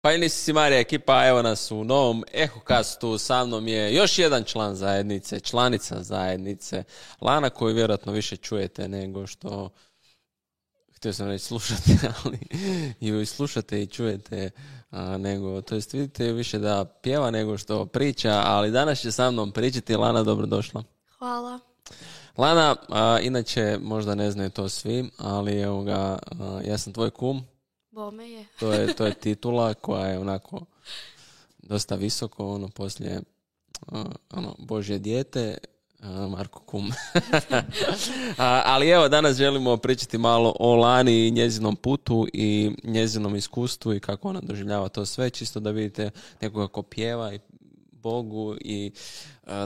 Pa i nisi si Marija ekipa, evo nas u novom Ehokastu, sa mnom je još jedan član zajednice, članica zajednice, Lana, koju vjerojatno više čujete nego što, htio sam reći slušate, ali ju slušate i čujete, nego, to jest vidite više da pjeva nego što priča, ali danas će sa mnom pričati. Lana, dobrodošla. Hvala. Lana, inače možda ne znaju to svi, ali evo ga, ja sam tvoj kum. Bome je. To je titula koja je onako dosta visoko, poslije Božje dijete, Marko kum. Ali evo, danas želimo pričati malo o Lani i njezinom putu i njezinom iskustvu i kako ona doživljava to sve, čisto da vidite nekoga ko pjeva i Bogu i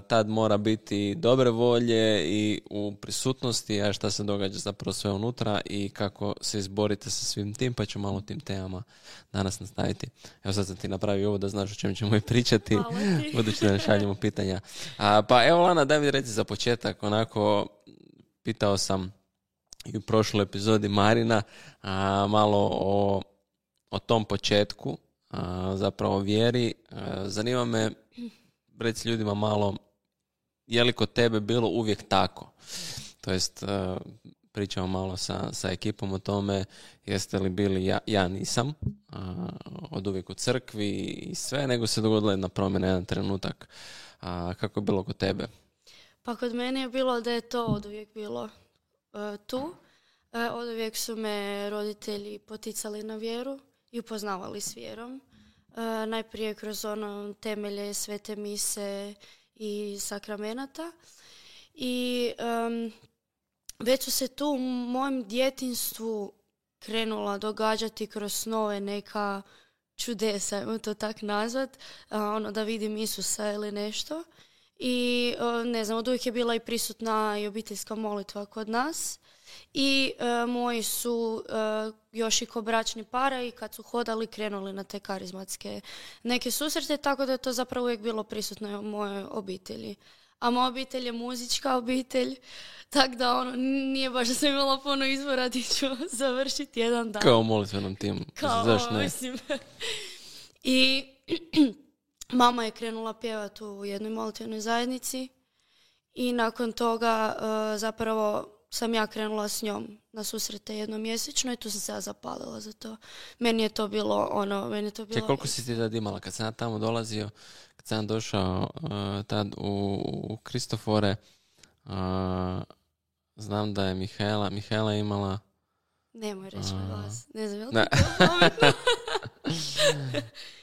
tad mora biti dobre volje i u prisutnosti, a šta se događa zapravo sve unutra i kako se izborite sa svim tim, pa ću malo o tim temama danas nastaviti. Evo sad sam ti napravio ovo da znaš o čem ćemo i pričati, budući da ne šaljemo pitanja. Pa evo Lana, daj mi reći za početak, onako pitao sam i u prošloj epizodi Marina malo o tom početku, zapravo vjeri. Zanima me, reci ljudima malo, je li kod tebe bilo uvijek tako? To jest, pričamo malo sa ekipom o tome, jeste li bili, ja nisam od uvijek u crkvi i sve, nego se dogodila jedna promjena, jedan trenutak. Kako je bilo kod tebe? Pa kod mene je bilo da je to od uvijek bilo tu. Od uvijek su me roditelji poticali na vjeru i upoznavali s vjerom. Najprije kroz temelje svete mise i sakramenata. I već su se tu u mojem djetinjstvu krenula događati kroz snove neka čudesa, ajmo to tak nazvat, da vidim Isusa ili nešto. I ne znam, od uvijek je bila i prisutna i obiteljska molitva kod nas. I moji su još i ko bračni para i kad su hodali krenuli na te karizmatske neke susrete, tako da je to zapravo uvijek bilo prisutno u mojoj obitelji. A moja obitelj je muzička obitelj, tako da nije baš da sam imala puno izbora di ću završiti jedan dan. Kao u molitvenom timu. Zašto ne? Mislim. I mama je krenula pjevati u jednoj molitvenoj zajednici i nakon toga zapravo sam ja krenula s njom na susrete jednomjesečno i tu sam se ja zapalila za to. Meni je to bilo Koliko si ti tad imala? Kad sam ja tamo dolazio, kad sam došao tad u Kristofore, znam da je Mihaela imala... Nemoj reći na glas. Ne znam, je li ne. to pametno?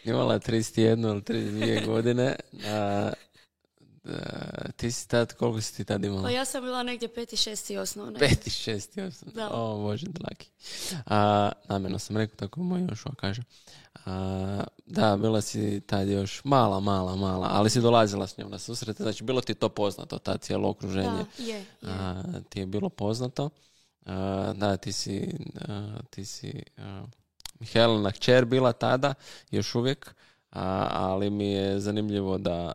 Imala je 31 ili 32 godine. Ti si tad, koliko si ti tad imala? Pa ja sam bila negdje 5. 6. osnovne. 5. 6. osnovne. Da. O, Bože, dragi. Namjerno sam rekao, tako moj Jošua kaže. Da, bila si tad još mala, ali si dolazila s njom na susrete, znači bilo ti to poznato, ta cijelo okruženje. Da, je. Ti je bilo poznato. Da, ti si Mihaelina kćer bila tada, još uvijek. Ali mi je zanimljivo da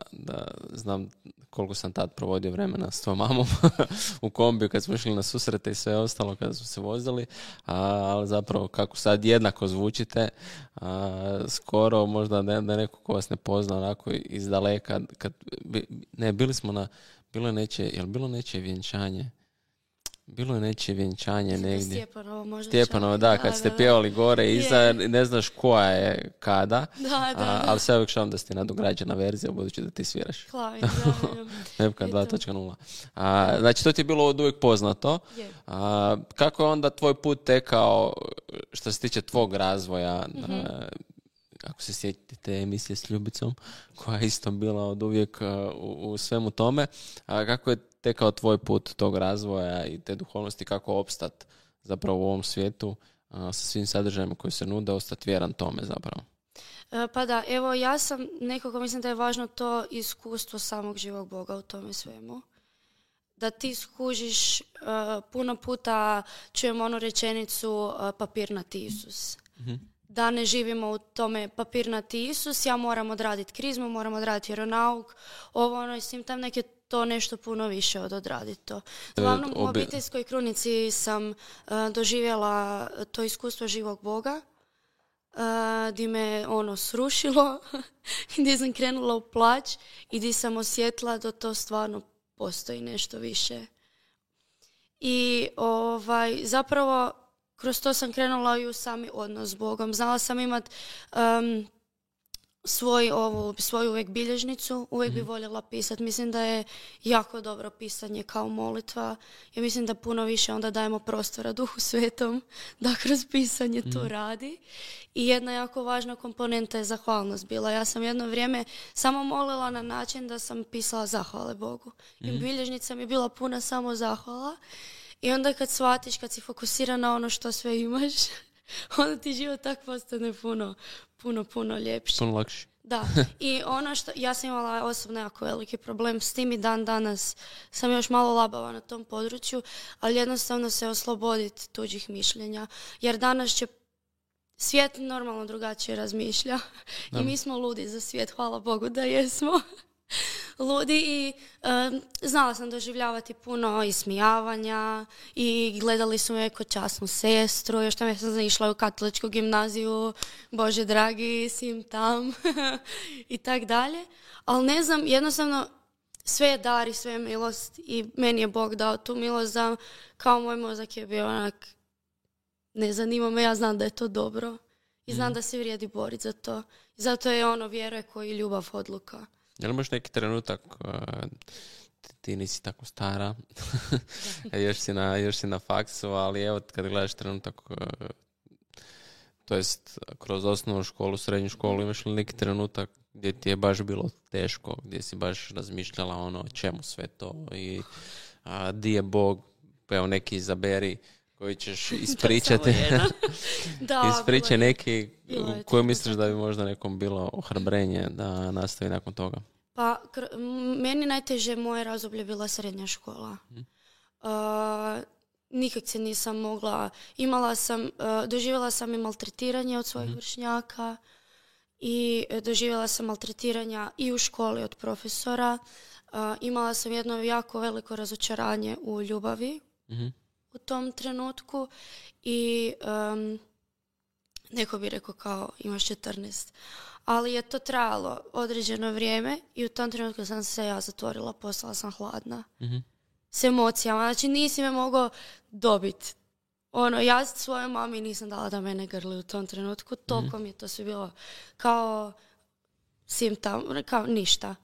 znam koliko sam tad provodio vremena s tvojom mamom u kombiju kad smo išli na susrete i sve ostalo kada smo se vozili, ali zapravo kako sad jednako zvučite, skoro možda da neko ko vas ne pozna onako iz daleka, bili smo na, bilo je nečije vjenčanje. Bilo je nečije vjenčanje negdje. Stjepanovo, da, kad ste pjevali gore iza, ne znaš koja je kada, ali sve uvijek šalim da ste nadograđena verzija, budući da ti sviraš. Nepka 2.0. Znači, to ti je bilo od uvijek poznato. Kako je onda tvoj put tekao što se tiče tvog razvoja? Ako se sjetite emisije s Ljubicom, koja je isto bila od uvijek u svemu tome, kako je tekao tvoj put tog razvoja i te duhovnosti, kako opstat zapravo u ovom svijetu sa svim sadržajima koji se nude, ostati vjeran tome zapravo? Pa da, evo ja sam nekako, mislim da je važno to iskustvo samog živog Boga u tome svemu. Da ti skužiš, puno puta čujemo onu rečenicu papirnati Isus. da ne živimo u tome papirnati Isus, ja moram odraditi krizmu, moram odraditi vjeronauk, i svim tam neke to nešto puno više od odraditi to. Uglavnom, u obiteljskoj krunici sam doživjela to iskustvo živog Boga, gdje me srušilo, gdje sam krenula u plać i gdje sam osjetila da to stvarno postoji nešto više. I zapravo kroz to sam krenula i u sami odnos s Bogom. Znala sam imat svoju uvijek bilježnicu, uvijek bi voljela pisati. Mislim da je jako dobro pisanje kao molitva. Ja mislim da puno više onda dajemo prostora Duhu Svetom da kroz pisanje to radi. I jedna jako važna komponenta je zahvalnost bila. Ja sam jedno vrijeme samo molila na način da sam pisala zahvale Bogu. I bilježnica mi je bila puna samo zahvala. I onda kad shvatiš, kad si fokusiran na ono što sve imaš, onda ti život tak postane puno ljepši. Puno lakši. Da. I ja sam imala osobno jako veliki problem s tim i dan danas sam još malo labava na tom području, ali jednostavno se osloboditi tuđih mišljenja. Jer danas će svijet normalno drugačije razmišlja. Da. I mi smo ludi za svijet, hvala Bogu da jesmo. Ludi i znala sam doživljavati puno ismijavanja i gledali su me kao časnu sestru, još tam ja sam išla u katoličku gimnaziju, Bože dragi, sim tam i tak dalje. Ali ne znam, jednostavno sve je dar i sve je milost i meni je Bog dao tu milost da kao moj mozak je bio onak, ne zanima me, ja znam da je to dobro i znam da se vrijedi boriti za to. I zato je vjera koji ljubav odluka. Je li imaš neki trenutak, ti nisi tako stara, još si na faksu, ali evo kad gledaš trenutak, to jest kroz osnovnu školu, srednju školu, imaš li neki trenutak gdje ti je baš bilo teško, gdje si baš razmišljala čemu sve to i di je Bog, pa evo neki izaberi koji ćeš ispričati. Ispričaj neki koji misliš da bi možda nekom bilo ohrabrenje da nastavi nakon toga. Pa, meni najteže moje razdoblje bila srednja škola. Nikak se nisam mogla, doživjela sam i maltretiranje od svojih vršnjaka i doživjela sam maltretiranja i u školi od profesora. Imala sam jedno jako veliko razočaranje u ljubavi u tom trenutku i neko bi rekao kao imaš 14. Ali je to trajalo određeno vrijeme i u tom trenutku sam se ja zatvorila, postala sam hladna. S emocijama. Znači nisi me mogao dobiti. Ja svojoj mami nisam dala da mene grli u tom trenutku. Toliko mi je to sve bilo kao simptom, kao ništa.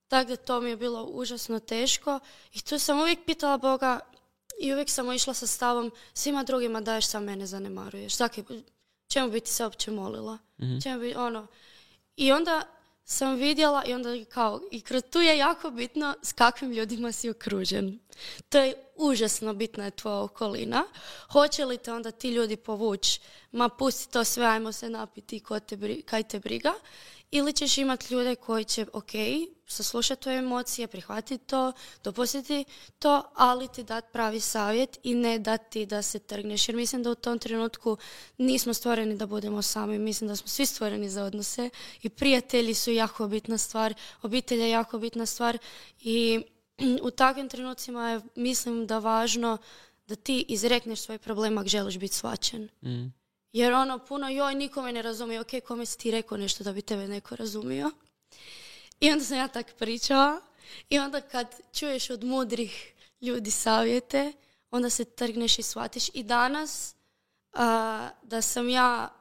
Tako da to mi je bilo užasno teško i tu sam uvijek pitala Boga i uvijek sam išla sa stavom svima drugima daješ, sam mene zanemaruješ. Čemu bi ti se uopće molila? I onda sam vidjela i onda i kroz tu je jako bitno s kakvim ljudima si okružen. To je užasno bitna je tvoja okolina. Hoće li te onda ti ljudi povući? Ma pusti to sve, ajmo se napiti, kaj te briga. Ili ćeš imati ljude koji će, saslušati tvoje emocije, prihvatiti to, dopustiti to, ali ti dati pravi savjet i ne dati da se trgneš. Jer mislim da u tom trenutku nismo stvoreni da budemo sami. Mislim da smo svi stvoreni za odnose i prijatelji su jako bitna stvar, obitelj je jako bitna stvar i u takvim trenucima je, mislim da važno da ti izrekneš svoj problem ako želiš biti shvaćen. Jer puno, nikome ne razumije, kome si ti rekao nešto da bi tebe neko razumio. I onda sam ja tak pričala i onda kad čuješ od mudrih ljudi savjete, onda se trgneš i shvatiš. I danas da sam ja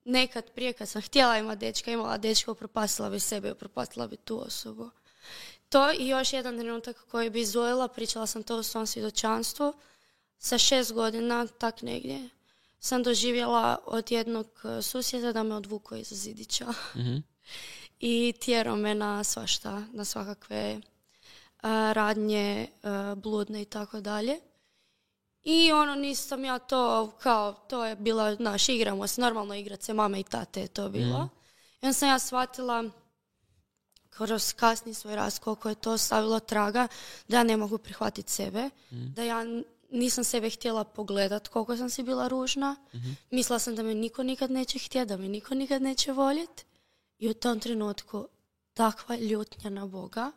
nekad prije kad sam htjela imala dečka, upropastila bi sebe, upropastila bi tu osobu. To i još jedan trenutak koji bi izdvojila, pričala sam to u svom svjedočanstvu, sa 6 godina, tak negdje, sam doživjela od jednog susjeda da me odvukao iza zidića. I tjerao me na svašta, na svakakve radnje, bludne i tako dalje. I nisam ja to, to je bila, igramo se, normalno igrat se, mame i tate je to bilo. I onda sam ja shvatila kroz kasni svoj rast koliko je to stavilo traga da ja ne mogu prihvatiti sebe, da ja nisam sebe htjela pogledat koliko sam si bila ružna. Mislila sam da me niko nikad neće htjeti, da me niko nikad neće voljeti. I u tom trenutku takva ljutnja na Boga.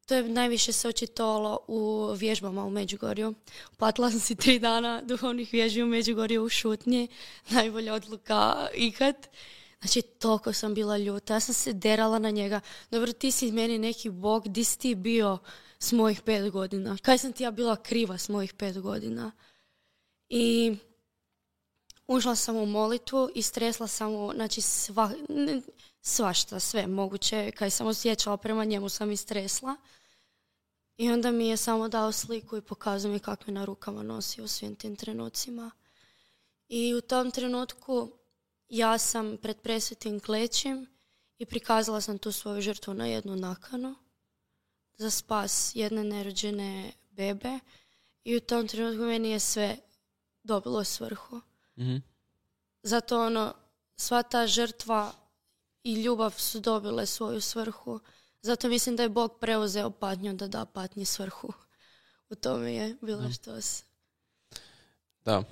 To je najviše se očitovalo u vježbama u Međugorju. Platila sam si 3 dana duhovnih vježbi u Međugorju u šutnji. Najbolja odluka ikad. Znači, toliko sam bila ljuta. Ja sam se derala na njega. Dobro, ti si meni neki Bog. Di si ti bio s mojih 5 godina? Kaj sam ti ja bila kriva s mojih 5 godina? I ušla sam u molitvu i stresla sam u, znači, svašta, sve moguće. Kaj sam osjećala prema njemu sam i stresla. I onda mi je samo dao sliku i pokazao mi kako je na rukama nosio u svim tim trenucima. I u tom trenutku ja sam pred presvetim klećim i prikazala sam tu svoju žrtvu na jednu nakanu za spas jedne nerođene bebe. I u tom trenutku meni je sve dobilo svrhu. Zato sva ta žrtva i ljubav su dobile svoju svrhu. Zato mislim da je Bog preuzeo patnju da da patnji svrhu. U tome je bilo štos. Da.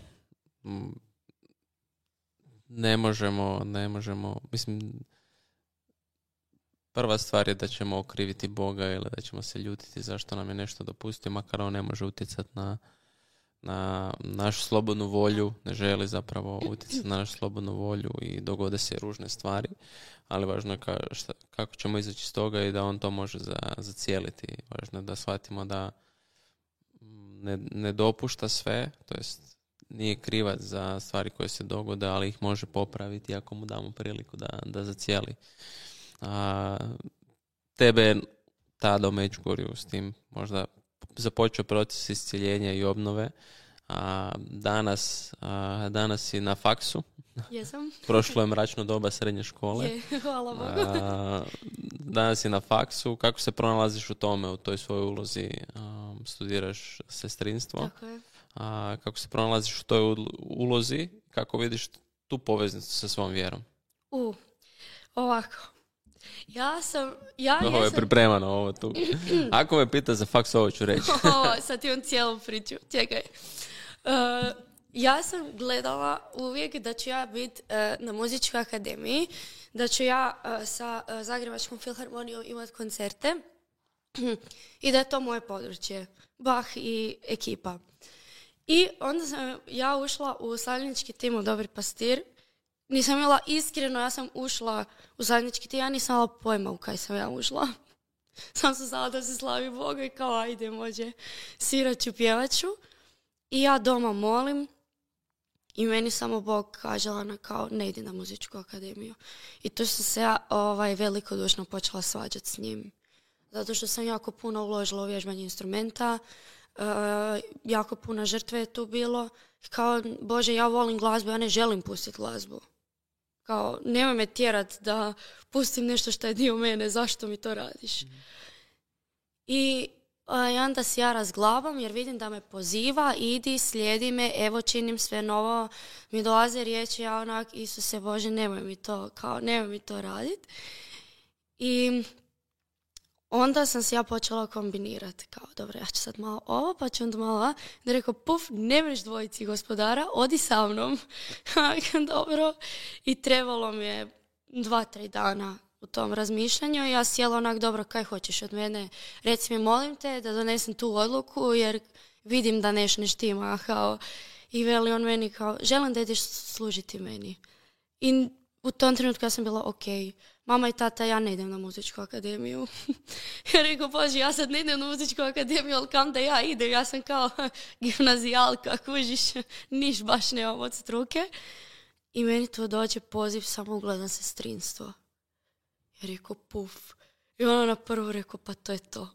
Ne možemo, mislim, prva stvar je da ćemo okriviti Boga ili da ćemo se ljutiti zašto nam je nešto dopustio, makar on ne može utjecati na našu slobodnu volju, ne želi zapravo utjecati na našu slobodnu volju i dogode se ružne stvari, ali važno je kako ćemo izaći iz toga i da on to može zacijeliti. Važno je da shvatimo da ne dopušta sve, to jest nije krivac za stvari koje se dogode, ali ih može popraviti ako mu damo priliku da zacijeli. Tebe je tada u Međugorju s tim možda započeo proces iscjeljenja i obnove. Danas si na faksu. Jesam. Prošlo je mračno doba srednje škole. Je, hvala Bogu. Danas si na faksu. Kako se pronalaziš u tome, u toj svojoj ulozi? Studiraš sestrinstvo. Tako je. Kako se pronalaziš u toj ulozi? Kako vidiš tu poveznicu sa svom vjerom? Ovako. Ovo je pripremano, ovo tu. Ako me pita za faks, ovo ću reći. Sad imam cijelu priču. Čekaj. Ja sam gledala uvijek da ću ja biti na muzičkoj akademiji, da ću ja sa Zagrebačkom filharmonijom imati koncerte i da je to moje područje. Bach i ekipa. I onda sam ja ušla u slavljenički tim u Dobri pastir. Nisam imala iskreno, ja sam ušla u zajednički tim, ja nisam imala pojma u kaj sam ja ušla. Sam sam znala da se slavi Boga i kao ajde, može, sviraću, pjevaću. I ja doma molim i meni samo Bog kaže kao ne idi na muzičku akademiju. I tu sam se ja velikodušno počela svađati s njim. Zato što sam jako puno uložila u vježbanje instrumenta, jako puno žrtve je tu bilo. Kao, Bože, ja volim glazbu, ja ne želim pustiti glazbu. Kao, nemoj me tjerat da pustim nešto što je dio mene, zašto mi to radiš? I onda se ja razglabam jer vidim da me poziva, idi, slijedi me, evo činim sve novo. Mi dolaze riječi, ja onak, Isuse Bože, nemoj mi to raditi. I onda sam se ja počela kombinirati. Kao, dobro, ja ću sad malo ovo, pa ću onda malo da rekao, ne mreš dvojici gospodara, odi sa mnom. Dobro. I trebalo mi je 2-3 dana u tom razmišljanju. I ja sjela onak, dobro, kaj hoćeš od mene? Reci mi, molim te da donesem tu odluku, jer vidim da nešto ne štima. Kao, i veli on meni kao, želim da ideš služiti meni. I u tom trenutku ja sam bila, ok, mama i tata, ja ne idem na muzičku akademiju. Ja rekao, Bože, ja sad ne idem na muzičku akademiju, ali kam da ja idem? Ja sam kao gimnazijalka, kužiš, niš baš nemam od struke. I meni tu dođe poziv, samo ugledam sestrinstvo. Ja rekao, I ona na prvu rekao, pa to je to.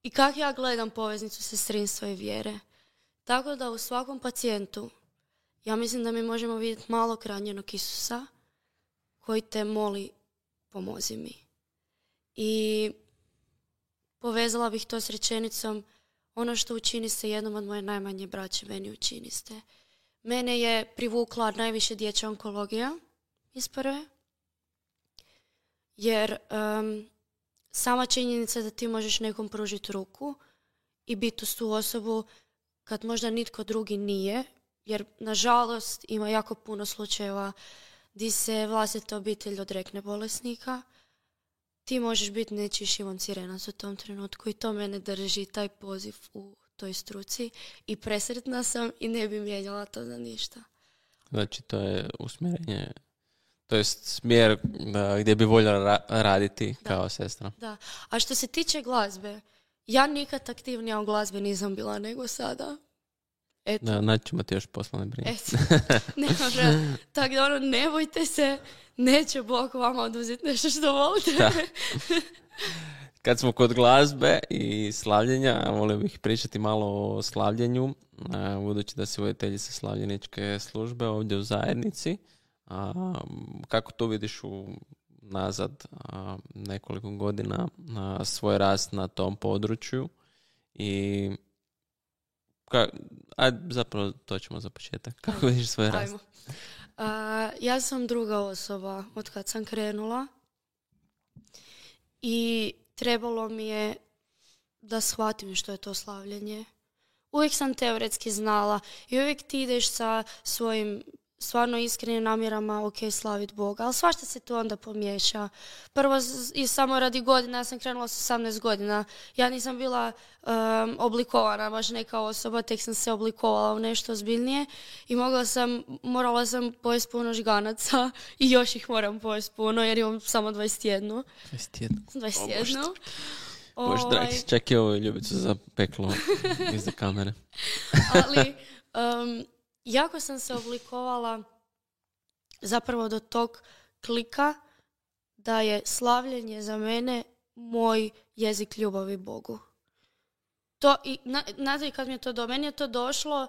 I kako ja gledam poveznicu sestrinstva i vjere? Tako da u svakom pacijentu, ja mislim da mi možemo vidjeti malog ranjenog Isusa koji te moli, pomozi mi. I povezala bih to s rečenicom, ono što učini se jednom od moje najmanje braće, meni učiniste. Mene je privukla najviše dječja onkologija iz prve, jer sama činjenica da ti možeš nekom pružiti ruku i biti uz tu osobu kad možda nitko drugi nije, jer nažalost ima jako puno slučajeva gdje se vlastita obitelj odrekne bolesnika. Ti možeš biti nečiji Šimon Cirenac u tom trenutku i to mene drži, taj poziv u toj struci i presretna sam i ne bi mijenjala to za ništa. Znači, to je usmjerenje, to je smjer gdje bi voljela raditi kao sestra. Da, a što se tiče glazbe, ja nikad aktivnija u glazbi nisam bila nego sada. Eto. Da, naćemo ti još poslovne brine. Tako da ne bojte se, neće Bog vama oduzeti nešto što volite. Kad smo kod glazbe i slavljenja, volio bih pričati malo o slavljenju, budući da si voditeljica slavljeničke službe ovdje u zajednici. Kako to vidiš nazad nekoliko godina svoj rast na tom području i zapravo to ćemo za početak. Kako vidiš svoj rast? Ja sam druga osoba od kad sam krenula i trebalo mi je da shvatim što je to slavljenje. Uvijek sam teoretski znala i uvijek ti ideš sa svojim stvarno iskrenim namjerama, ok, slavit Boga, ali svašta se tu onda pomiješa. Prvo i samo radi godina, ja sam krenula s 18 godina. Ja nisam bila oblikovana baš neka osoba, tek sam se oblikovala u nešto ozbiljnije i morala sam pojesti puno žganaca i još ih moram pojesti puno jer imam samo 21. 21. Bože dragi, čak i ovo ljubicu za peklo iza kamere. Ali jako sam se oblikovala zapravo do tog klika da je slavljenje za mene moj jezik ljubavi Bogu. To i znate kad mi je to meni je to došlo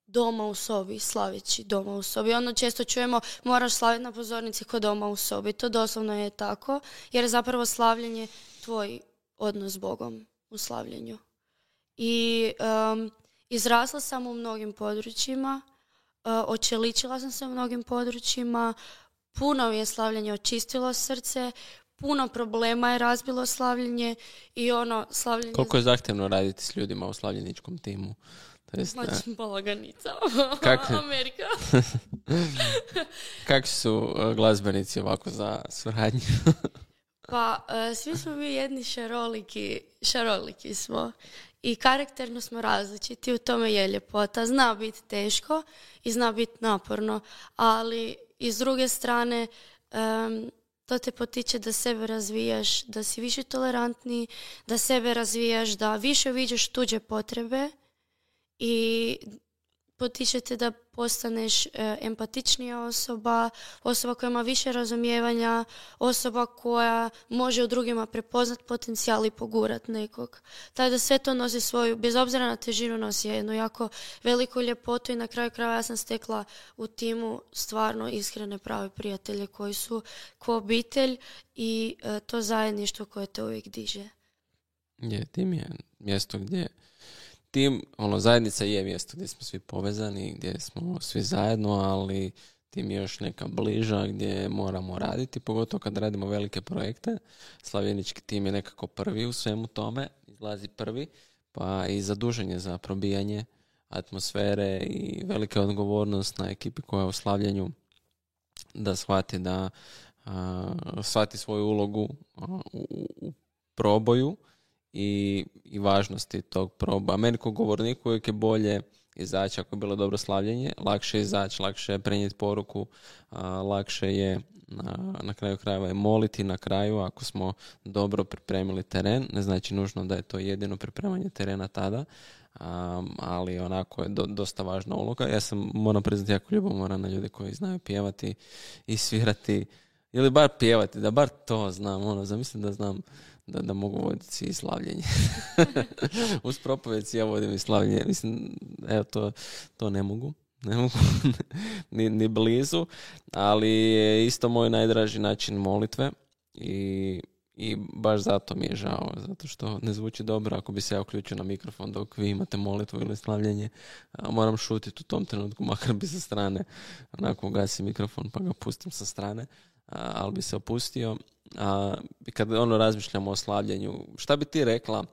doma u sobi, slaveći doma u sobi. Ono često čujemo moraš slaviti na pozornici kod doma u sobi. To doslovno je tako jer je zapravo slavljenje tvoj odnos s Bogom u slavljenju. I izrasla sam u mnogim područjima, očeličila sam se u mnogim područjima, puno mi je slavljenje očistilo srce, puno problema je razbilo slavljenje i slavljenje... Koliko je zahtjevno raditi s ljudima u slavljeničkom timu? Znači, balaganica. Amerika. Kakvi su glazbenici ovako za suradnju? Pa, svi smo mi jedni šaroliki smo. I karakterno smo različiti, u tome je ljepota. Zna biti teško i zna biti naporno, ali i s druge strane to te potiče da sebe razvijaš, da si više tolerantniji, da sebe razvijaš, da više viđaš tuđe potrebe i potiče te da postaneš empatičnija osoba koja ima više razumijevanja, osoba koja može u drugima prepoznat potencijal i pogurat nekog. Tako da sve to nosi svoju, bez obzira na težinu, nosi jednu jako veliku ljepotu i na kraju krajeva ja sam stekla u timu stvarno iskrene prave prijatelje koji su ko obitelj i to zajedništvo koje te uvijek diže. Tim je mjesto gdje tim, zajednica je mjesto gdje smo svi povezani, gdje smo svi zajedno, ali tim je još neka bliža gdje moramo raditi, pogotovo kad radimo velike projekte. Slavljenički tim je nekako prvi u svemu tome, izlazi prvi, pa i zadužen je za probijanje atmosfere i velika odgovornost na ekipi koja je u slavljenju da shvati svoju ulogu u proboju i važnosti tog proba. Meni kao govorniku uvijek je bolje izaći ako je bilo dobro slavljenje, lakše izaći, lakše je prenijeti poruku, lakše je na kraju krajeva je moliti na kraju ako smo dobro pripremili teren. Ne znači nužno da je to jedino pripremanje terena tada, ali onako je dosta važna uloga. Ja sam, moram priznati, jako ljubomoran na ljude koji znaju pjevati i svirati ili bar pjevati, da bar to znam. Zamislim da znam da mogu voditi i slavljenje. Uz propovjed ja vodim i slavljenje. Mislim, evo to ne mogu. ni blizu, ali je isto moj najdraži način molitve i baš zato mi je žao, zato što ne zvuči dobro ako bi se ja uključio na mikrofon dok vi imate molitvu ili slavljenje. Moram šutiti u tom trenutku, makar bi sa strane onako ugasi mikrofon pa ga pustim sa strane, ali bi se opustio. Kad razmišljamo o slavljenju, šta bi ti rekla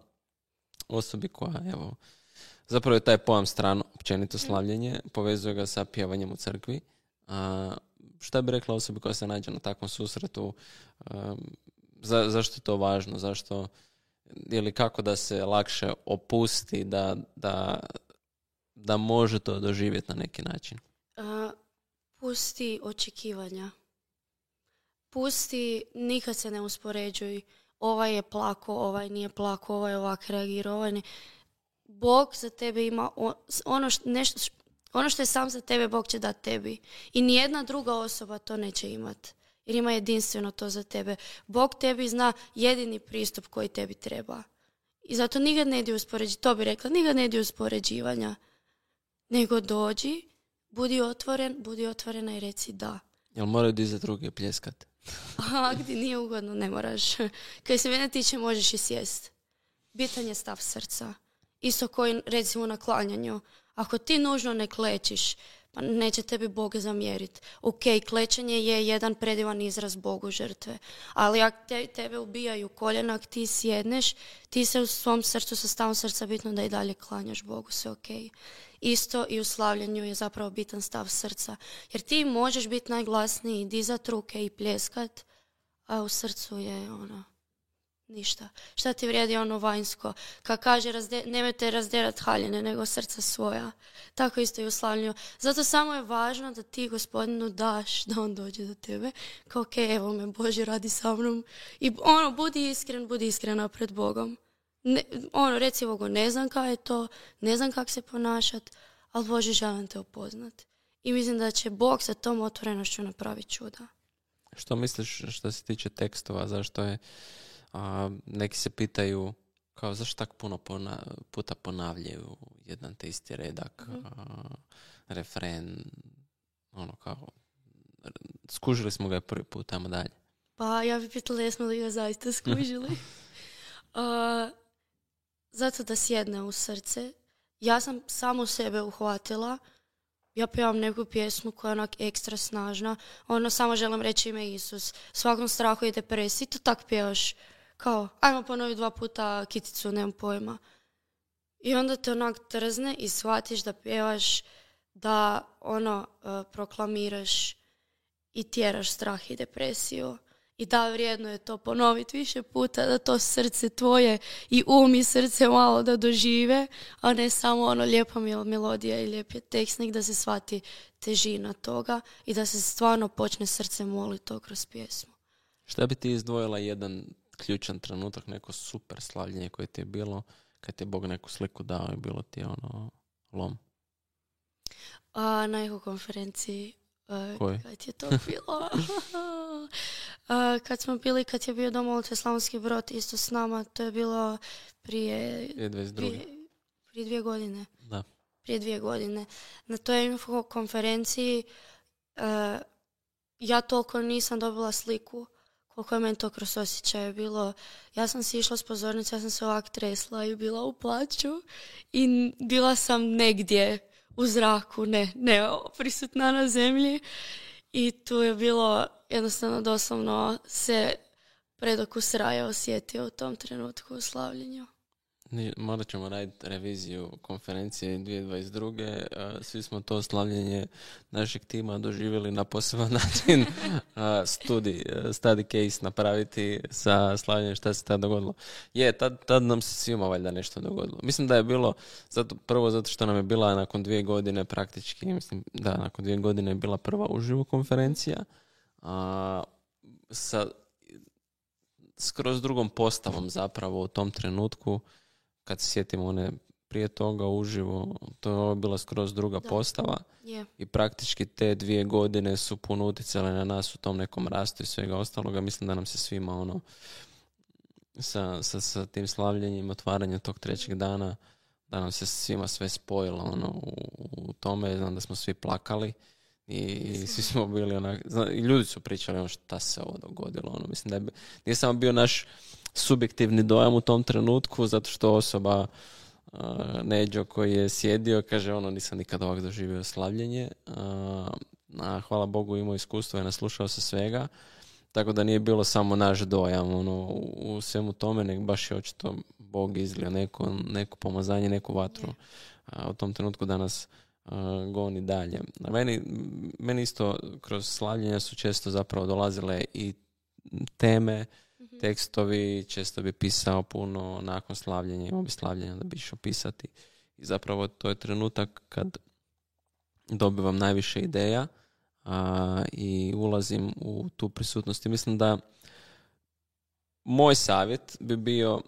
osobi koja, evo, zapravo je taj pojam strano, općenito slavljenje, povezuje ga sa pjevanjem u crkvi. Šta bi rekla osobi koja se nađe na takvom susretu? Zašto je to važno? Zašto, ili kako da se lakše opusti, da može to doživjeti na neki način? Pusti očekivanja. Pusti, nikad se ne uspoređuj. Ovaj je plako, ovaj nije plako, ovaj je ovak reagirao, ovaj ne. Bog za tebe ima ono što je sam za tebe, Bog će dati tebi. I nijedna druga osoba to neće imati. Jer ima jedinstveno to za tebe. Bog tebi zna jedini pristup koji tebi treba. I zato nikad ne ide uspoređivanja. To bi rekla, nikad ne ide uspoređivanja. Nego dođi, budi otvorena i reci da. Jel moraju dizati ruke i pljeskat? Gdje nije ugodno, ne moraš. Kaj se mene tiče, možeš i sjest. Bitan je stav srca. Isto koji, recimo, na klanjanju. Ako ti nužno ne klečiš, pa neće tebi Bog zamjeriti. Ok, klečanje je jedan predivan izraz Bogu žrtve. Ali ako tebe ubijaju koljena, ako ti sjedneš, ti se u svom srcu, sa stavom srca bitno da i dalje klanjaš Bogu, sve ok. Isto i u slavljanju je zapravo bitan stav srca. Jer ti možeš biti najglasniji, dizat ruke i pljeskat, a u srcu je ništa. Šta ti vrijedi vanjsko? Kad kaže nemojte razderat haljine, nego srca svoja. Tako isto i u slavljanju. Zato samo je važno da ti Gospodinu daš da on dođe do tebe. Kao ok, evo me, Bože, radi sa mnom. I budi iskrena pred Bogom. Reci Bogu, ne znam kako je to, ne znam kako se ponašat, ali Bože, želim te upoznat. I mislim da će Bog sa tom otvorenošću napraviti čuda. Što misliš što se tiče tekstova? Zašto je neki se pitaju kao zašto tako puno puta ponavljaju jedan te isti redak, refren, kao skužili smo ga prvi put, tamo dalje. Pa ja bih pitala jesmo li ga zaista skužili. Zato da sjedne u srce. Ja sam samo sebe uhvatila. Ja pjevam neku pjesmu koja je onak ekstra snažna. Samo želim reći ime Isus. Svakom strahu i depresiji. To tak pjevaš. Kao, ajmo ponoviti 2 puta Kiticu, nemam pojma. I onda te onak trzne i shvatiš da pjevaš, da proklamiraš i tjeraš strah i depresiju. I da, vrijedno je to ponoviti više puta, da to srce tvoje i i srce malo da dožive, a ne samo lijepa melodija i lijep je tekst, nek da se shvati težina toga i da se stvarno počne srce moliti to kroz pjesmu. Šta bi ti izdvojila jedan ključan trenutak, neko super slavljenje koje ti je bilo, kad ti je Bog neku sliku dao i bilo ti lom? Na konferenciji. Koji? Kad je to bilo? Kad je bio Domolutve Slavonski Brod isto s nama, to je bilo prije 2 godine. Da. Prije 2 godine. Na toj info konferenciji ja toliko nisam dobila sliku koliko je meni to kroz osjećaje bilo. Ja sam si išla s pozornice, ja sam se ovak tresla i bila u plaću i bila sam negdje u zraku, ne prisutna na zemlji i tu je bilo jednostavno doslovno se predokus raja osjetio u tom trenutku u slavljenju. Morat ćemo raditi reviziju konferencije 2022. Svi smo to slavljenje našeg tima doživjeli na poseban način. Study case napraviti sa slavljenjem šta se tad dogodilo. Tad nam se svima valjda nešto dogodilo. Mislim da je bilo, zato što nam je bila nakon 2 godine praktički, nakon 2 godine je bila prva uživo konferencija sa skroz drugom postavom zapravo u tom trenutku. Kad se sjetimo one prije toga uživo, to je bila skroz druga postava. Yeah. I praktički te 2 godine su puno utjecale na nas u tom nekom rastu i svega ostaloga. Mislim da nam se svima sa tim slavljenjem, otvaranjem tog 3. dana, da nam se svima sve spojilo u tome. Znam da smo svi plakali i svi smo bili i ljudi su pričali šta se ovo dogodilo. Mislim da nije samo bio naš subjektivni dojam u tom trenutku, zato što osoba Neđo koji je sjedio kaže nisam nikad ovak doživio slavljenje, hvala Bogu imao iskustvo i naslušao se svega, tako da nije bilo samo naš dojam u svemu tome, nego baš je očito Bog izlio neko pomazanje, neku vatru u tom trenutku da nas goni dalje. Meni isto kroz slavljenja su često zapravo dolazile i teme, tekstovi, često bi pisao puno nakon slavljenja, imao bi slavljenja da bi išao pisati. I zapravo to je trenutak kad dobivam najviše ideja i ulazim u tu prisutnost. I mislim da moj savjet bi bio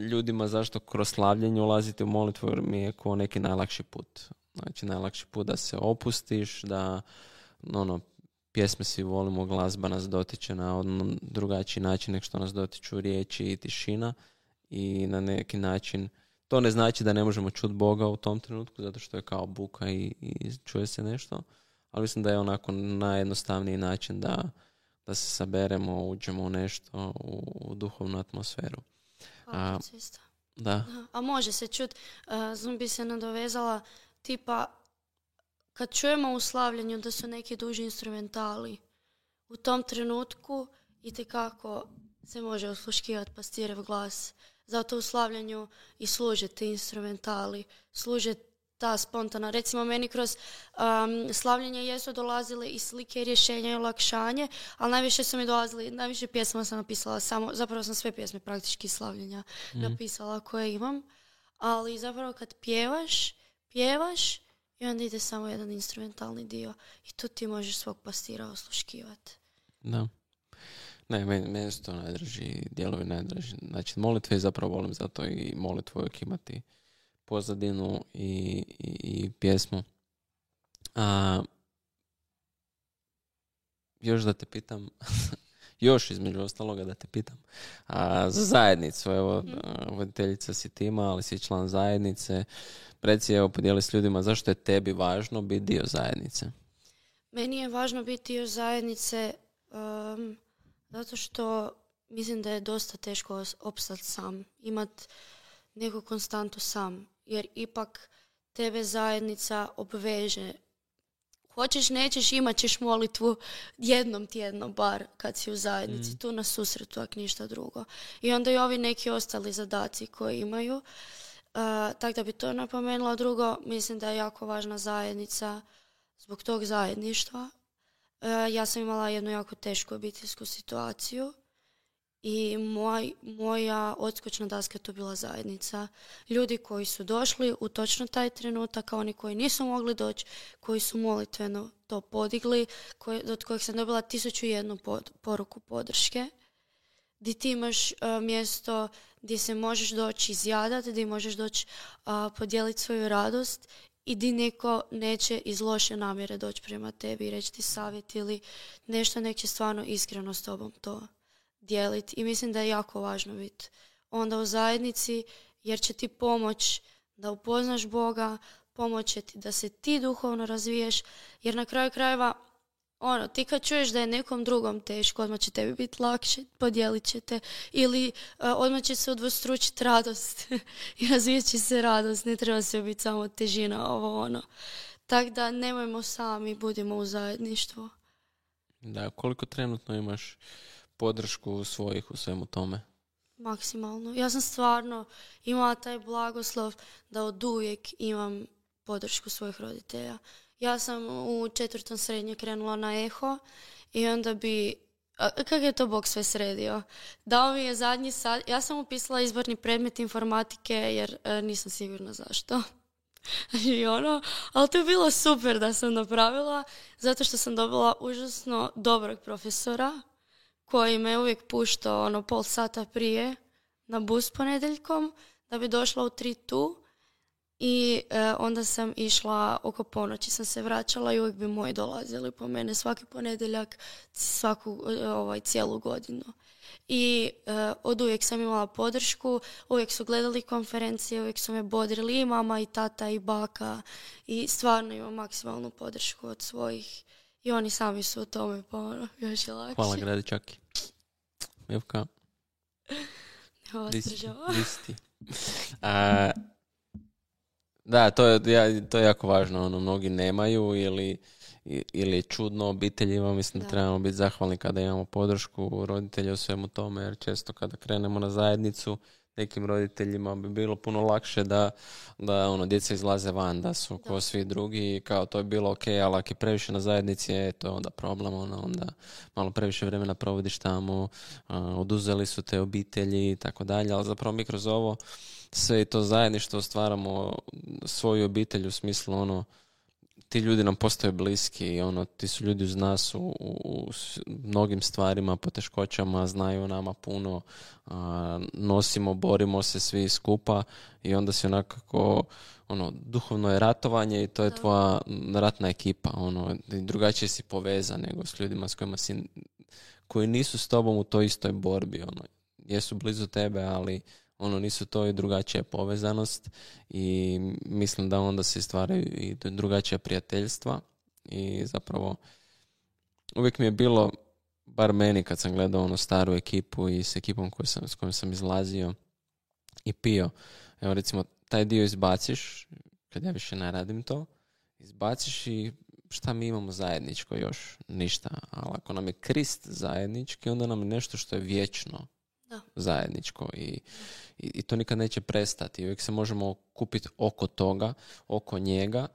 ljudima zašto kroz slavljenje ulaziti u molitvu, jer mi je kao neki najlakši put. Znači, najlakši put da se opustiš, da pjesme svi volimo, glazba nas dotiče na drugačiji način nego što nas dotiču riječi i tišina i na neki način to ne znači da ne možemo čuti Boga u tom trenutku zato što je kao buka i čuje se nešto, ali mislim da je onako najjednostavniji način da se saberemo, uđemo u nešto, u duhovnu atmosferu. Da. A može se čuti, bi se nadovezala tipa kad čujemo u slavljenju da su neki duži instrumentali, u tom trenutku itekako se može osluškivati pastirev glas. Zato u slavljenju i služe ti instrumentali, služe ta spontana. Recimo meni kroz slavljenje jesu dolazile i slike, rješenja i olakšanje, ali najviše su mi dolazili, najviše pjesma sam napisala zapravo sam sve pjesme praktički slavljenja napisala koje imam, ali zapravo kad pjevaš i onda ide samo jedan instrumentalni dio i tu ti možeš svog pastira osluškivati. Da. Ne, meni su to dijelovi najdraži. Znači, molitve zapravo volim zato i molitvu uvijek imati pozadinu i pjesmu. Još da te pitam, još između ostaloga da te pitam, za zajednicu, evo, voditeljica si tima, ali si član zajednice. Reci, evo, podijeli s ljudima, zašto je tebi važno biti dio zajednice? Meni je važno biti dio zajednice zato što mislim da je dosta teško opstati sam, imati neku konstantu sam, jer ipak tebe zajednica obveže. Hoćeš, nećeš, imat ćeš molitvu jednom tjedno bar kad si u zajednici, tu na susretu, ako ništa drugo. I onda i ovi neki ostali zadaci koji imaju. Tako da bi to napomenula. Drugo, mislim da je jako važna zajednica zbog tog zajedništva. Ja sam imala jednu jako tešku obiteljsku situaciju i moja odskočna daska je to bila zajednica. Ljudi koji su došli u točno taj trenutak, a oni koji nisu mogli doći, koji su molitveno to podigli, od kojih sam dobila 1001 poruku podrške, gdje ti imaš mjesto gdje se možeš doći izjadati, gdje možeš doći podijeliti svoju radost i di neko neće iz loše namjere doći prema tebi i reći ti savjet ili nešto, nek će stvarno iskreno s tobom to dijeliti. I mislim da je jako važno biti onda u zajednici, jer će ti pomoć da upoznaš Boga, pomoć će ti da se ti duhovno razviješ, jer na kraju krajeva ti kad čuješ da je nekom drugom teško, odmah će tebi biti lakše, podijelit će te ili odmah će se udvostručiti radost i razvijat će se radost, ne treba se biti samo težina Tako da nemojmo sami, budimo u zajedništvu. Da, koliko trenutno imaš podršku svojih u svemu tome? Maksimalno. Ja sam stvarno imala taj blagoslov da oduvijek imam podršku svojih roditelja. Ja sam u 4. srednje krenula na eho i onda bi... Kako je to Bog sve sredio? Dao mi je zadnji sat. Ja sam upisala izborni predmet informatike jer nisam sigurna zašto. Ali to je bilo super da sam napravila zato što sam dobila užasno dobrog profesora koji me uvijek puštao pol sata prije na bus ponedjeljkom da bi došla u 3 tu. I onda sam išla oko ponoći, sam se vraćala i uvijek bi moji dolazili po mene svaki ponedjeljak, cijelu godinu. I od uvijek sam imala podršku, uvijek su gledali konferencije, uvijek su me bodrili i mama i tata i baka i stvarno imam maksimalnu podršku od svojih i oni sami su u tome još je lakše. Hvala Gradičaki. Mivka. Listi. Da, to je jako važno. Mnogi nemaju ili je čudno obiteljima. Mislim da trebamo biti zahvalni kada imamo podršku roditelja u svemu tome, jer često kada krenemo na zajednicu nekim roditeljima bi bilo puno lakše da djeca izlaze van, da su ko svi drugi i kao to je bilo ok, ali ako je previše na zajednici, to je onda problem, onda malo previše vremena provodiš tamo, oduzeli su te obitelji i tako dalje, ali zapravo mi kroz ovo sve i to zajedništvo stvaramo svoju obitelj u smislu ti ljudi nam postaju bliski i ti su ljudi uz nas u mnogim stvarima, poteškoćama, znaju nama puno, nosimo, borimo se svi skupa i onda si onako duhovno je ratovanje i to je tvoja ratna ekipa, drugačije si povezan nego s ljudima s kojima koji nisu s tobom u toj istoj borbi, jesu blizu tebe, ali nisu to i drugačija povezanost i mislim da onda se stvaraju i drugačija prijateljstva i zapravo uvijek mi je bilo, bar meni kad sam gledao staru ekipu i s ekipom s kojom sam izlazio i pio, evo recimo taj dio izbaciš, kad ja više ne radim to, izbaciš i šta mi imamo zajedničko još? Ništa, ali ako nam je Krist zajednički, onda nam je nešto što je vječno zajedničko i to nikad neće prestati. Uvijek se možemo kupiti oko toga, oko njega,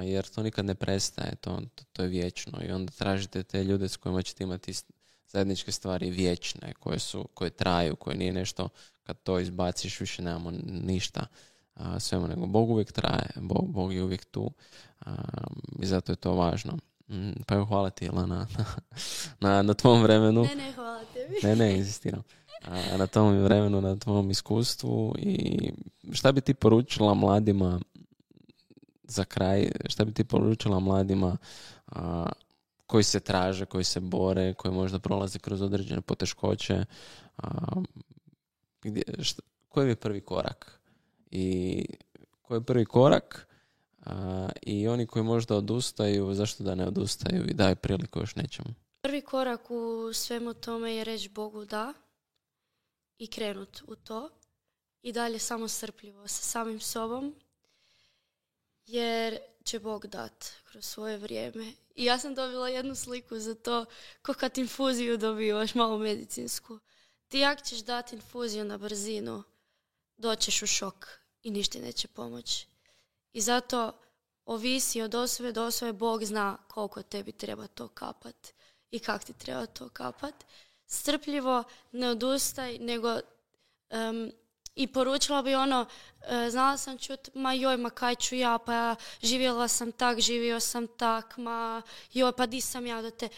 jer to nikad ne prestaje, to je vječno i onda tražite te ljude s kojima ćete imati zajedničke stvari vječne, koje traju, koje nije nešto kad to izbaciš više nemamo ništa svemu, nego Bog uvijek traje, Bog je uvijek tu i zato je to važno. Pa evo, hvala ti, Ilana, na tvom vremenu. Ne, hvala tebi. Ne, inzistiram. Na tom vremenu, na tvom iskustvu i šta bi ti poručila mladima za kraj, šta bi ti poručila mladima koji se traže, koji se bore, koji možda prolaze kroz određene poteškoće, koji je prvi korak i koji je prvi korak i oni koji možda odustaju, zašto da ne odustaju i daju priliku još nečemu? Prvi korak u svemu tome je reći Bogu da i krenut u to i dalje samo strpljivo sa samim sobom, jer će Bog dat kroz svoje vrijeme. I ja sam dobila jednu sliku za to, ko kad infuziju dobivaš, malo medicinsku. Ti jak ćeš dati infuziju na brzinu, doćeš u šok i ništa neće pomoći. I zato ovisi od osobe do osobe, Bog zna koliko tebi treba to kapat i kak ti treba to kapat. Strpljivo, ne odustaj, nego i poručila bi znala sam čut, ma kaj ću ja, pa živjela sam tak, živio sam tak, pa di sam ja do te.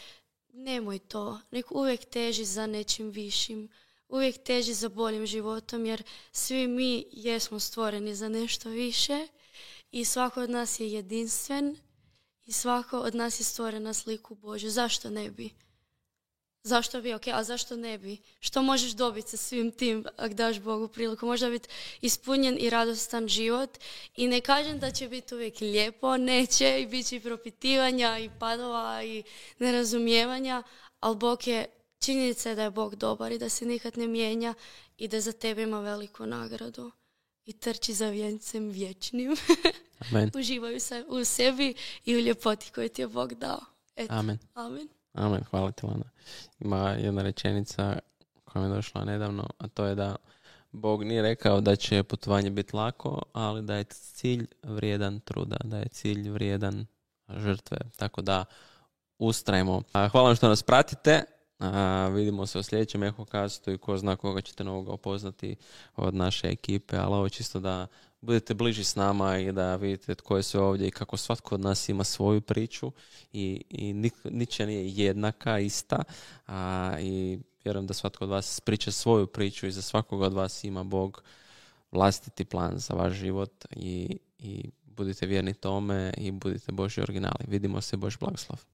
Nemoj to, nek uvijek teži za nečim višim, uvijek teži za boljim životom, jer svi mi jesmo stvoreni za nešto više i svako od nas je jedinstven i svako od nas je stvoren na sliku Božju. Zašto ne bi? Zašto bi? Ok, a zašto ne bi? Što možeš dobiti sa svim tim ako daš Bogu priliku? Možda biti ispunjen i radostan život. I ne kažem da će biti uvijek lijepo, neće i bit će i propitivanja i padova i nerazumijevanja, ali činjenica je da je Bog dobar i da se nikad ne mijenja i da za tebe ima veliku nagradu. I trči za vjencem vječnim. Amen. Uživaju se u sebi i u ljepoti koju ti je Bog dao. Eto. Amen. Amen, hvala ti, Lana. Ima jedna rečenica koja mi je došla nedavno, a to je da Bog nije rekao da će putovanje biti lako, ali da je cilj vrijedan truda, da je cilj vrijedan žrtve. Tako da ustrajmo. Hvala vam što nas pratite. Vidimo se u sljedećem Ehokastu i ko zna koga ćete novoga upoznati od naše ekipe, ali ovo čisto da budete bliži s nama i da vidite tko je sve ovdje i kako svatko od nas ima svoju priču i ničija nije jednaka, ista, i vjerujem da svatko od vas priča svoju priču i za svakog od vas ima Bog vlastiti plan za vaš život i budite vjerni tome i budite Božji originali. Vidimo se, Božji blagoslov.